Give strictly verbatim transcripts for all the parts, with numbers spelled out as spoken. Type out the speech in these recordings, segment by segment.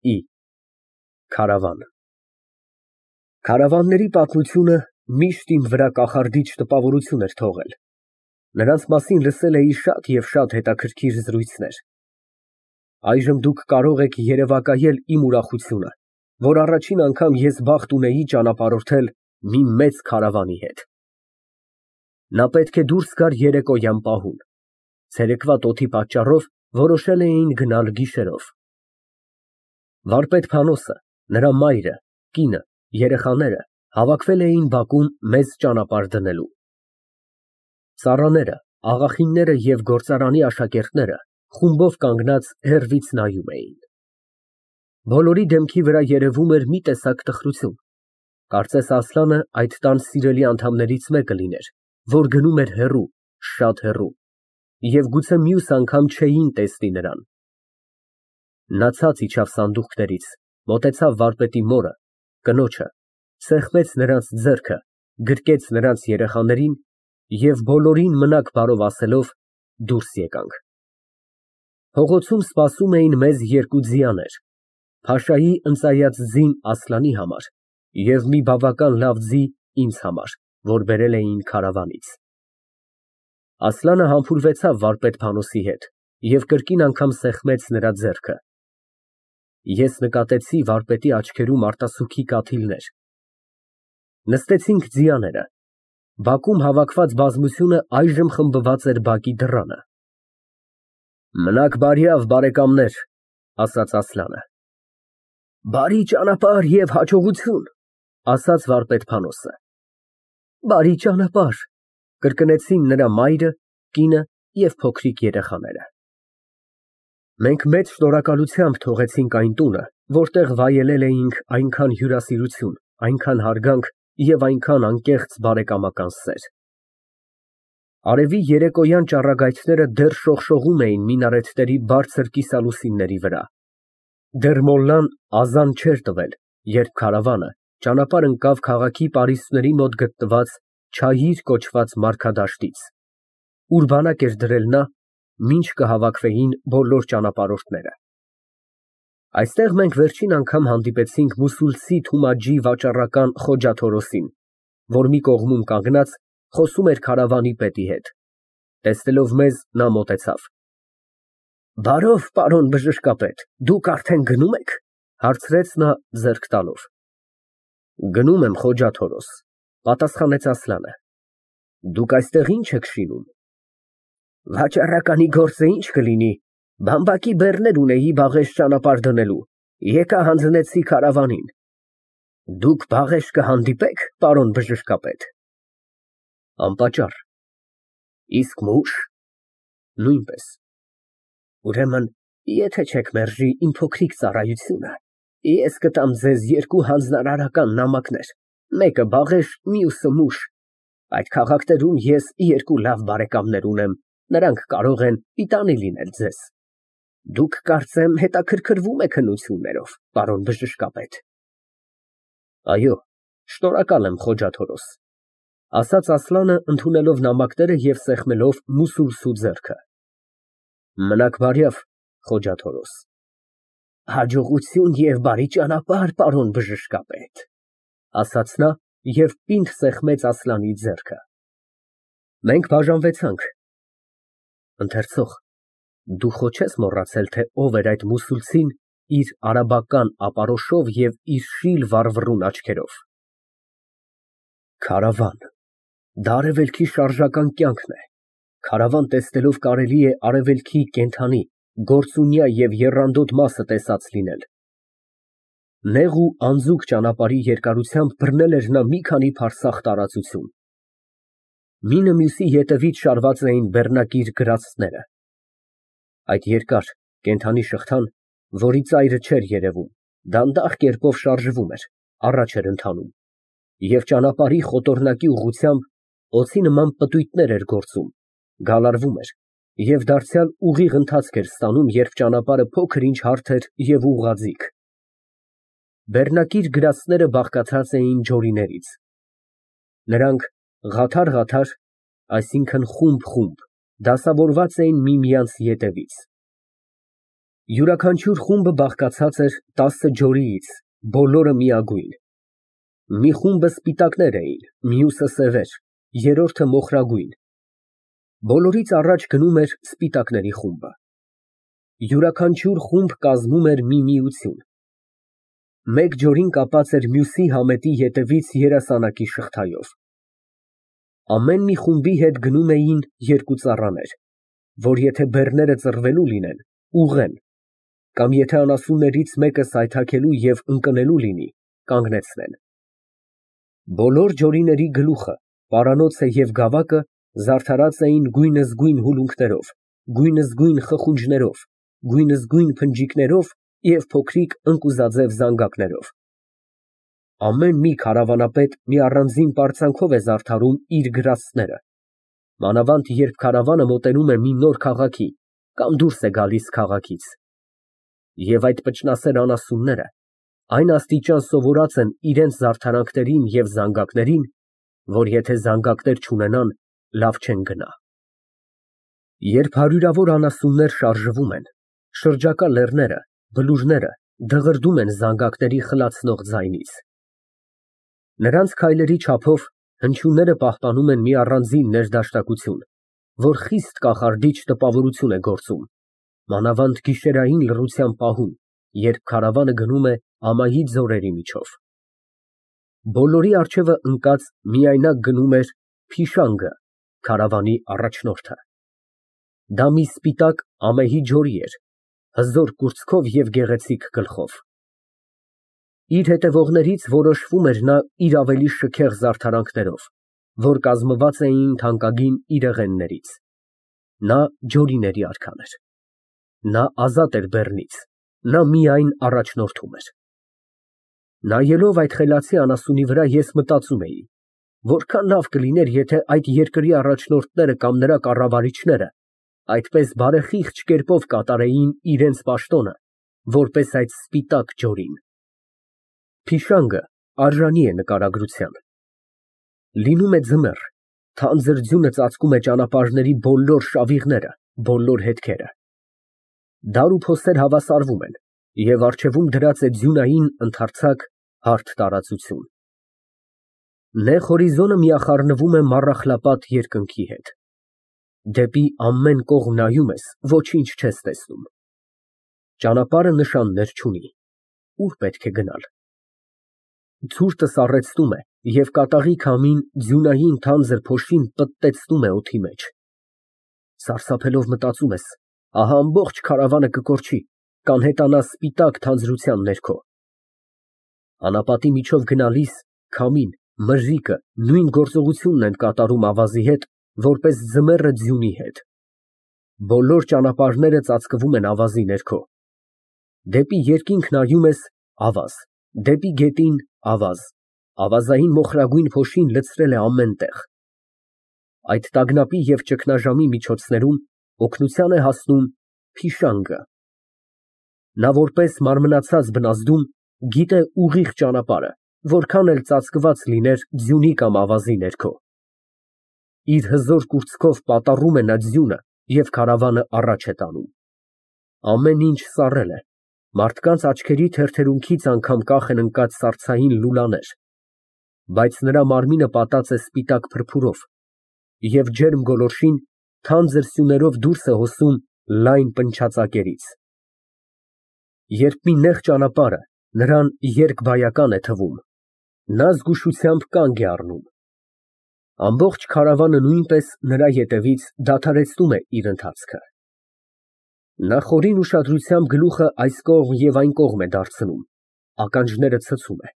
Ի Քարավան։ Քարավանների պատմությունը միշտ իմ վրա կախարդիչ տպավորություն էր թողել, նրանց մասին լսել էի շատ և շատ հետաքրքիր զրույցներ։ Այժմ դուք կարող եք երևակայել իմ ուրախությունը, որ առաջին անգամ ես բախտ ունեի ճանապարհորդել մի մեծ քարավանի հետ։ Նա պետք է դուրս գար երեկոյան պահուն, ցերեկվա տոթի պատճառով որոշել էին գնալ գիշերով։ Վարպետ Փանոսը, նրա մայրը, կինը, երեխաները հավաքվել էին բակում մեզ ճանապարհ դնելու։ Ծառաները, աղախինները և գործարանի աշակերտները խումբով կանգնած հեռվից նայում էին։ Բոլորի դեմքի վրա երևում էր մի տեսակ տխրություն, կարծես Ասլանը այդ տան սիրելի անդամներից մեկը լիներ, որ գնում էր հեռու, շատ հեռու, և գուցե մյուս անգամ չէին տեսնի նրան։ Նա ցած իջավ սանդուղքներից, մոտեցավ վարպետի մորը, կնոջը, սեղմեց նրանց ձեռքը, գրկեց նրանց երեխաներին և բոլորին մնաք բարով ասելով դուրս եկանք։ Փողոցում սպասում էին մեզ երկու ձիաներ, փաշայի ընծայած ձին Ասլանի համար և մի բավական լավ ձի ինձ համար, որ բերել էին քարավանից։ Ասլանը համբուրվեցավ վարպետ Փանոսի հետ և կրկին անգամ սեղմեց նրա ձեռքը։ Ես նկատեցի վարպետի աչքերում արտասուքի կաթիլներ։ Նստեցինք ձիաները, բակում հավաքված բազմությունը այժմ խմբված էր բակի դռանը։ Մնաք բարյավ, բարեկամներ, ասաց Ասլանը։ Բարի ճանապարհ և հաջողություն, ասաց վարպետ Փանոսը։ Բարի ճանապարհ, կրկնեցին նրա մայրը, կինը և փոքրիկ երեխաները։ Մենք մեծ շնորհակալությամբ թողեցինք այն տունը, որտեղ վայելել էինք այնքան հյուրասիրություն, այնքան հարգանք և այնքան անկեղծ բարեկամական սեր։ Արևի երեկոյան ճառագայթները դեռ շողշողում էին մինարեթների բարձր կիսալուսինների վրա։ Դեռ մոլլան ազան չէր տվել, երբ քարավանը ճանապարհ ընկավ քաղաքի պարիսպների մոտ գտնված Չահիր կոչված մարգադաշտից, ուր բանակ էր դրել նա, մինչ կհավաքվեին բոլոր ճանապարհորդները։ Այստեղ մենք վերջին անգամ հանդիպեցինք մուսուլցի Թումաջի վաճառական Խոջա Թորոսին, որ մի կողմում կանգնած խոսում էր քարավանի պետի հետ։ Տեսնելով մեզ, նա մոտեցավ։ Բարով, պարոն բժշկապետ, դուք արդեն գնո՞ւմ եք, հարցրեց նա ձեռք տալով։ Գնում եմ, Խոջա Թորոս, պատասխանեց Ասլանը։ Դուք այստեղ ի՞նչ եք շինում։ Վաճառականի գործը ի՞նչ կլինի, բամբակի բեռներ ունեի բաղեշ ճանապարհ դնելու, եկա հանձնեցի քարավանին։ Դուք բաղեշ կհանդիպե՞ք, պարոն բժշկապետ։ Անպատճառ։ Իսկ մուշ։ Նույնպես։ Ուրեմն, եթե չեք մերժի իմ փոքրիկ ծառայությունը, ես կտամ ձեզ երկու հանձնարարական նամակներ, մեկը բաղեշ, մյուսը մուշ։ Այդ քաղաքներում ես երկու լավ բարեկամներ ունեմ, նրանք կարող են պիտանի լինել ձեզ։ Դուք, կարծեմ, հետաքրքրվում եք հնություններով, պարոն բժշկապետ։ Այո, շնորհակալ եմ, Խոջա Թորոս, ասաց Ասլանը, ընդունելով նամակները և սեղմելով մուսուլցու ձեռքը։ Մնաք բարյավ, Խոջա Թորոս։ Հաջողություն և բարի ճանապարհ, պարոն բժշկապետ, ասաց նա և պինդ սեղմեց Ասլանի ձեռքը։ Մենք բաժանվեցանք։ Ընթերցող, դու խո չես մոռացել, թե ով էր այդ մուսուլցին իր արաբական ապարոշով և իր շիլ վառվռուն աչքերով։ Քարավան, դա արևելքի շարժական կյանքն է։ Քարավան տեսնելով կարելի է արևելքի կենդանի, գործունյա և եռանդոտ մասը տեսած լինել։ Նեղ ու անձուկ ճանապարհի երկարությամբ բռնել էր նա մի քանի փարսախ տարածություն։ Մինը մյուսի ետևից շարված էին բեռնակիր գրաստները։ Այդ երկար, կենդանի շղթան, որի ծայրը չէր երևում, դանդաղ կերպով շարժվում էր, առաջ էր ընթանում, և ճանապարհի խոտորնակի ուղղությամբ օձի նման պտույտներ էր գործում, գալարվում էր և դարձյալ ուղիղ ընթացք էր ստանում, երբ ճանապարհը փոքր ինչ հարթ էր և ուղղաձիգ։ Բեռնակիր գրաստները բաղկացած էին ջորիներից։ Նրանք ղաթար֊ղաթար, այսինքն խումբ֊խումբ, դասավորված էին միմյանց ետևից։ Յուրաքանչյուր խումբը բաղկացած էր տասը ջորիից, բոլորը միագույն։ Մի խումբը սպիտակներ էին, մյուսը սևեր, երրորդը մոխրագույն։ Բոլորից առաջ գնում էր սպիտակների խումբը։ Յուրաքանչյուր խումբ կազմում էր մի միություն։ Մեկ ջորին կապած էր մյուսի համետի ետևից երասանակի շղթայով։ Ամեն մի խումբի հետ գնում էին երկու ծառաներ, որ եթե բեռները ծռվելու լինեն, ուղղեն, կամ եթե անասուններից մեկը սայթաքելու և ընկնելու լինի, կանգնեցնեն։ Բոլոր ջորիների գլուխը, պարանոցը և գավակը զարդարած էին գույնզգույն հուլունքներով, գույնզգույն խխունջներով, գույնզգույն փնջիկներով և փոքրիկ ընկուզաձև զանգակներով։ Ամեն մի քարավանապետ մի առանձին պարծանքով է զարդարում իր գրաստները, մանավանդ երբ քարավանը մոտենում է մի նոր քաղաքի կամ դուրս է գալիս քաղաքից։ Եվ այդ պճնասեր անասունները այն աստիճան սովորած են իրենց զարդարանքներին և զանգակներին, որ եթե զանգակներ չունենան, լավ չեն գնա։ Երբ հարյուրավոր անասուններ շարժվում են, շրջակա լեռները, բլուրները դղրդում են զանգակների խլացնող ձայնից։ Նրանց քայլերի չափով հնչյունները պահպանում են մի առանձին ներդաշնակություն, որ խիստ կախարդիչ տպավորություն է գործում, մանավանդ գիշերային լռության պահում, երբ քարավանը գնում է ամայի ձորերի միջով։ Բոլորի առջևը ընկած միայնակ գնում էր Փիշանգը, քարավանի առաջնորդը։ Դա մի սպիտակ ամեհի ջորի էր, հզոր կուրծքով և գեղեցիկ գլխով։ Իր հետևողներից որոշվում էր նա իր ավելի շքեղ զարդարանքներով, որ կազմված էին թանկագին իրեղեններից։ Նա ջորիների արքան էր։ Նա ազատ էր բեռնից, նա միայն առաջնորդում էր։ Նայելով այդ խելացի անասունի վրա, ես մտածում էի, որքան լավ կլիներ, եթե այդ երկրի առաջնորդները կամ նրա կառավարիչները այդպես բարեխիղճ կերպով կատարեին իրենց պաշտոնը, որպես այդ սպիտակ ջորին։ Փիշանգը արժանի է նկարագրության։ Լինում է ձմեռ, թանձր ձյունը ծածկում է ճանապարհների բոլոր շավիղները, բոլոր հետքերը։ Դար ու փոսեր հավասարվում են, և առջևում դրած է ձյունային ընդարձակ հարթ տարածություն։ Նեղ հորիզոնը միախառնվում է մառախլապատ երկնքի հետ։ Դեպի ամեն կողմ նայում ես, ոչինչ չես տեսնում։ Ճանապարհը նշաններ չունի։ Ուր պետք է գնալ։ Ցուրտը սառեցնում է, և կատաղի քամին ձյունային թանձր փոշին պտտեցնում է օդի մեջ։ Սարսափելով մտածում ես, ահա ամբողջ քարավանը կկորչի, կանհետանա սպիտակ թանձրության ներքո։ Անապատի միջով գնալիս քամին, մրրիկը նույն գործողությունն են կատարում ավազի հետ, որպես ձմեռը ձյունի հետ։ Բոլոր ճանապարհները ծածկվում են ավազի ներքո։ Դեպի երկինք նայում ես ֊ ավազ, դեպի գետին ֊ ավազ, ավազային մոխրագույն փոշին լցրել է ամեն տեղ։ Այդ տագնապի և ճգնաժամի միջոցներում օգնության է հասնում Փիշանգը։ Նա որպես մարմնացած բնազդում գիտե ուղիղ ճանապարհը, որքան էլ ծածկված լիներ ձյունի կամ ավազի ներքո։ Իր հզոր կուրծքով պատառում է նա ձյունը և քարավանը առաջ է տանում։ Ամեն ինչ սառել է, մարդկանց աչքերի թերթերունքից անգամ կախ են ընկած սառցային լուլաներ, բայց նրա մարմինը պատած է սպիտակ փրփուրով, և ջերմ գոլորշին թանձր սյուներով դուրս է հոսում լայն պնչացակերից։ Երբ մի նեղ ճանապարհը նրան երկբայական է թվում, նա զգուշությամբ կանգ է առնում։ Ամբողջ քարավանը նույնպես նրա ետևից դադարեցնում է իր ընթացքը։ Նա խորին ուշադրությամբ գլուխը այս կողմ և այն կողմ է դարձնում, ականջները ցցում է,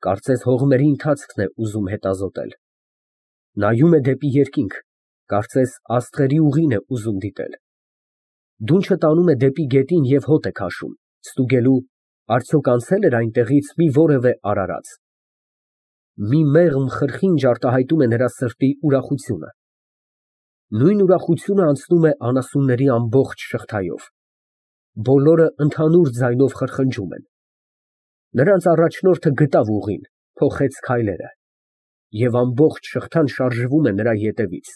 կարծես հողմերի ընթացքն է ուզում հետազոտել։ Նայում է դեպի երկինք, կարծես աստղերի ուղին է ուզում դիտել։ Դունչը տանում է դեպի գետին և հոտ է քաշում, ստուգելու, արդյոք անցե՞լ էր այնտեղից մի որևէ արարած։ Մի մեղմ խրխինջ արտահայտում է նրա սրտի ուրախությունը։ Նույն ուրախությունը անցնում է անասունների ամբողջ շղթայով։ Բոլորը ընդհանուր ձայնով խրխնջում են։ Նրանց առաջնորդը գտավ ուղին, փոխեց քայլերը, և ամբողջ շղթան շարժվում է նրա ետևից։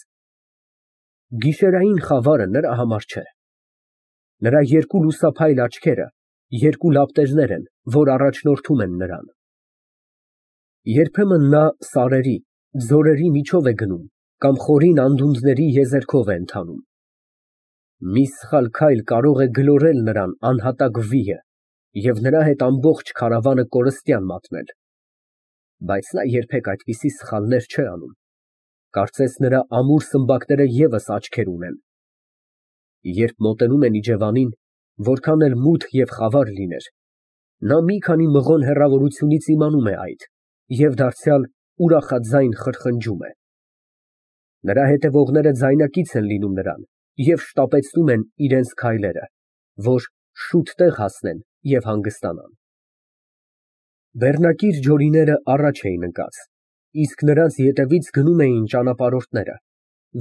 Գիշերային խավարը նրա համար չէ։ Նրա երկու լուսափայլ աչքերը երկու լապտերներ են, որ առաջնորդում են նրան։ Երբեմն նա սարերի, ձորերի միջով է գնում կամ խորին անդունդների եզերքով է ընթանում։ Մի սխալ քայլ կարող է գլորել նրան անհատակ վիհը և նրա հետ ամբողջ քարավանը կորստյան մատնել։ Բայց նա երբեք այդպիսի սխալներ չէ անում, կարծես նրա ամուր սմբակները ևս աչքեր ունեն։ Երբ մոտենում են իջևանին, որքան էլ մութ և խավար լիներ, նա մի քանի մղոն հեռավորությունից իմանում է այդ և դարձյալ ուրախաձայն խրխնջում է։ Նրա հետևողները ձայնակից են լինում նրան և շտապեցնում են իրենց քայլերը, որ շուտ տեղ հասնեն և հանգստանան։ Բեռնակիր ջորիները առաջ էին ընկած, իսկ նրանց ետևից գնում էին ճանապարհորդները,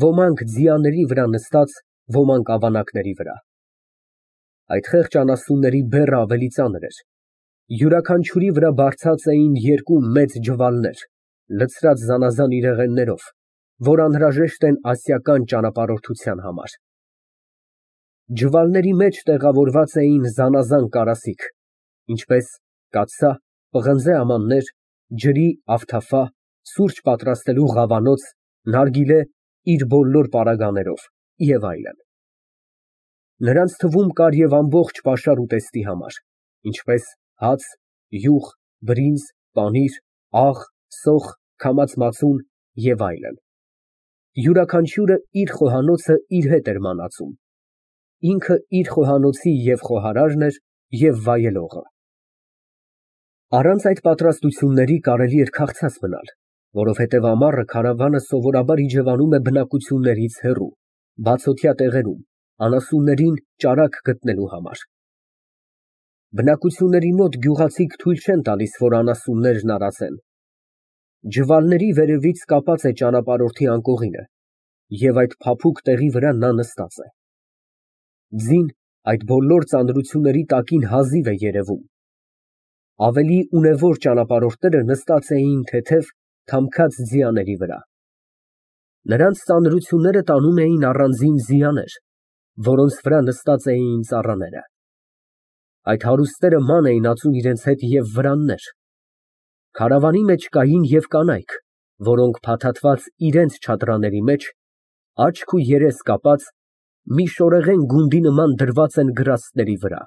ոմանք ձիաների վրա նստած, ոմանք ավանակների վրա։ Այդ խեղճ անասունների բեռը ավելի ծանր էր, յուրաքանչյուրի վրա բարձած էին երկու մեծ ջվալներ, լցրած զանազան իրեղեններով, որ անհրաժեշտ են ասիական ճանապարհորդության համար։ Ջվալների մեջ տեղավորված էին զանազան կարասիք, ինչպես կաթսա, պղնձե ամաններ, ջրի ավթափա, սուրճ պատրաստելու ղավանոց, նարգիլե իր բոլոր պարագաներով և այլն։ Նրանց թվում կար և ամբողջ պաշար ուտեստի համար, ինչպես հաց, յուղ, բրինձ, պանիր, աղ, սոխ, քամած մածուն և այլն։ Յուրաքանչյուրը իր խոհանոցը իր հետ էր մանածում, ինքը իր խոհանոցի և խոհարարն էր, և վայելողը։ Առանց այդ պատրաստությունների կարելի էր քաղցած մնալ, որովհետև ամառը քարավանը սովորաբար իջևանում է բնակություններից հեռու, բացօթյա տեղերում, անասուններին ճարակ գտնելու համար։ Բնակությունների մոտ գյուղացիք թույլ չեն տալիս, որ անասուններն արածեն։ Ջվալների վերևից կապած է ճանապարհորդի անկողինը, և այդ փափուկ տեղի վրա նա նստած է։ Ձին այդ բոլոր ծանրությունների տակին հազիվ է երևում։ Ավելի ունևոր ճանապարհորդները նստած էին թեթև, թամքած ձիաների վրա։ Նրանց ծանրությունները տանում էին առանձին ձիաներ, որոնց վրա նստած էին ծառաները։ Այդ հարուստները ման էին ածում իրենց հետ և վրաններ։ Քարավանի մեջ կային և կանայք, որոնք փաթաթված իրենց չադրաների մեջ, աչք ու երես կապած, մի շորեղեն գունդի նման դրված են գրաստների վրա։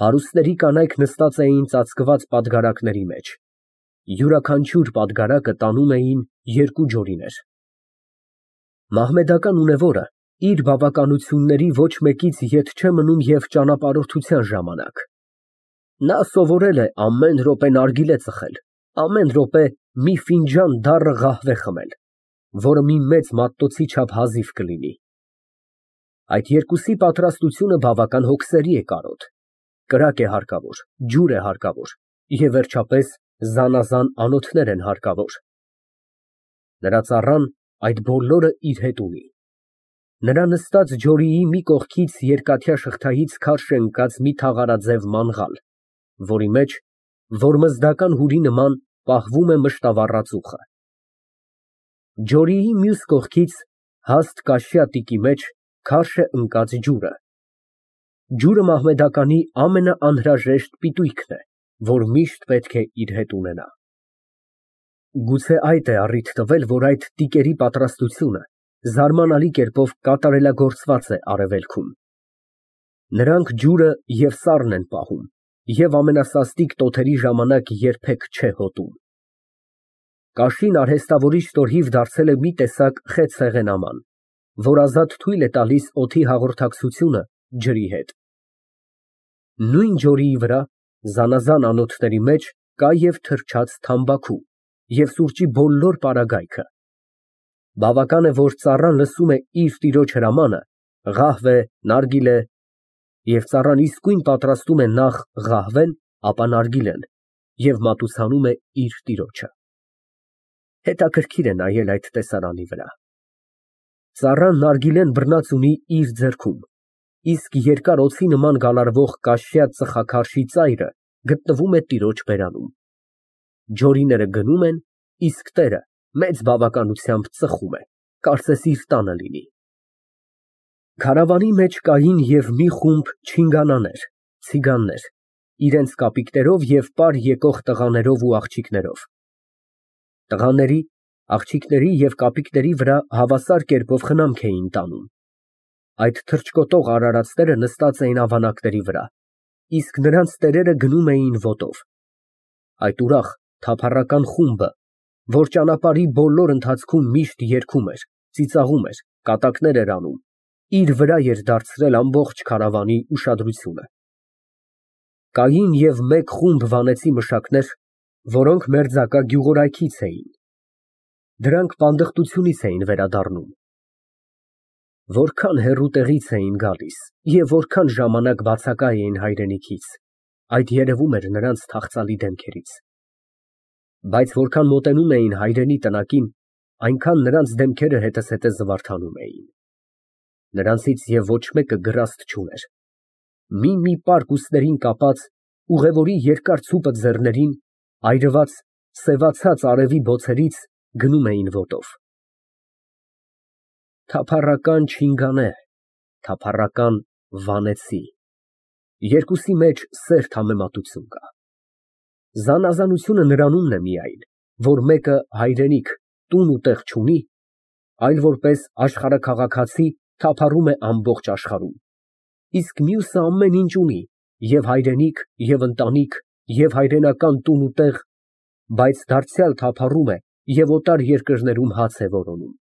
Հարուստների կանայք նստած էին ծածկված պատգարակների մեջ, յուրաքանչյուր պատգարակը տանում էին երկու ջորիներ։ Մահմեդական ունևորը իր բավականությունների ոչ մեկից ետ չէ մնում և ճանապարհորդության ժամանակ։ Նա սովորել է ամեն րոպե նարգիլե ծխել, ամեն րոպե մի ֆինջան դառը ղահվե խմել, որը մի մեծ մատտոցի չափ հազիվ կլինի։ Այդ երկուսի պատրաստությունը բավական հոգսերի է կարոտ, կրակ է հարկավոր, ջուր է հարկավոր և վերջապես զանազան անոթներ են հարկավոր։ Նրա ծառան այդ բոլորը իր հետ ունի։ Նրա նստած ջորիի մի կողքից երկաթյա շղթայից քարշ է ընկած մի թաղարաձև մանղալ, որի մեջ, որմզդական հուրի նման, պահվում է մշտավառած ուխը։ Ջորիի մյուս կողքից հաստ կաշյա տիկի մեջ քարշ է ընկած ջուրը։ Ջուրը մահմեդականի ամենաանհրաժեշտ պիտույքն է, որ միշտ պետք է իր հետ ունենա։ Գուցե այդ է առիթ տվել, որ այդ տիկերի պատրաստությունը զարմանալի կերպով կատարելագործված է արևելքում։ Նրանք ջուրը և սառն են պահում և ամենասաստիկ տոթերի ժամանակ երբեք չէ հոտում։ Կաշին արհեստավորի շնորհիվ դարձել է մի տեսակ խեցցեղեն աման, որ ազատ թույլ է տալիս օդի հաղորդակցությունը ջրի հետ։ Նույն ջորիի վրա, զանազան անոթների մեջ, կա և թրջած թամբաքու և սուրճի բոլոր պարագայքը։ Բավական է, որ ծառան լսում է իր տիրոջ հրամանը, ղահվե, նարգիլե, և ծառան իսկույն պատրաստում է նախ ղահվեն, ապա նարգիլեն և մատուցանում է իր տիրոջը։ Հետաքրքիր է նայել այդ տեսարանի վրա։ Ծառան նարգիլեն բռնած ունի իր ձեռքում, իսկ երկար օձի նման գալարվող կաշյա ծխաքարշի ծայրը գտնվում է տիրոջ բերանում։ Ջորիները գնում են, իսկ տերը մեծ բավականությամբ ծխում է, կարծես իր տանը լինի։ Քարավանի մեջ կային և մի խումբ չինգանաներ, ցիգաններ, իրենց կապիկներով և պար եկող տղաներով ու աղջիկներով։ Տղաների, աղջիկների և կապիկների վրա հավասար կերպով խնամք էին տանում։ Այդ թռչկոտող արարածները նստած էին ավանակների վրա, իսկ նրանց տերերը գնում էին ոտով։ Այդ ուրախ, թափառական խումբը, որ ճանապարհի բոլոր ընթացքում միշտ երգում էր, ծիծաղում էր, կատակներ էր անում, իր վրա էր դարձրել ամբողջ քարավանի ուշադրությունը։ Կային և մեկ խումբ վանեցի մշակներ, որոնք մերձակա գյուղորայքից էին։ Դրանք պանդխտությունից էին վերադառնում։ Որքան հեռու տեղից էին գալիս և որքան ժամանակ բացակա էին հայրենիքից, այդ երևում էր նրանց թախծալի դեմքերից։ Բայց որքան մոտենում էին հայրենի տնակին, այնքան նրանց դեմքերը հետզհետե զվարթանում էին։ Նրանցից և ոչ մեկը գրաստ չուներ։ Մի֊մի պարկ ուսներին կապած, ուղևորի երկար ցուպը ձեռներին, այրված, սևացած արևի բոցերից գնում էին ոտով։ Թափառական չինգանե, թափառական վանեցի, երկուսի մեջ սերտ համեմատություն կա։ Զանազանությունը նրանումն է միայն, որ մեկը հայրենիք, տուն ու տեղ չունի, այլ որպես աշխարհաքաղաքացի թափառում է ամբողջ աշխարհում, իսկ մյուսը ամեն ինչ ունի, և հայրենիք, և ընտանիք, և հայրենական տուն ու տեղ, բայց դարձյալ թափառում է և օտար երկրներում հաց է որոնում։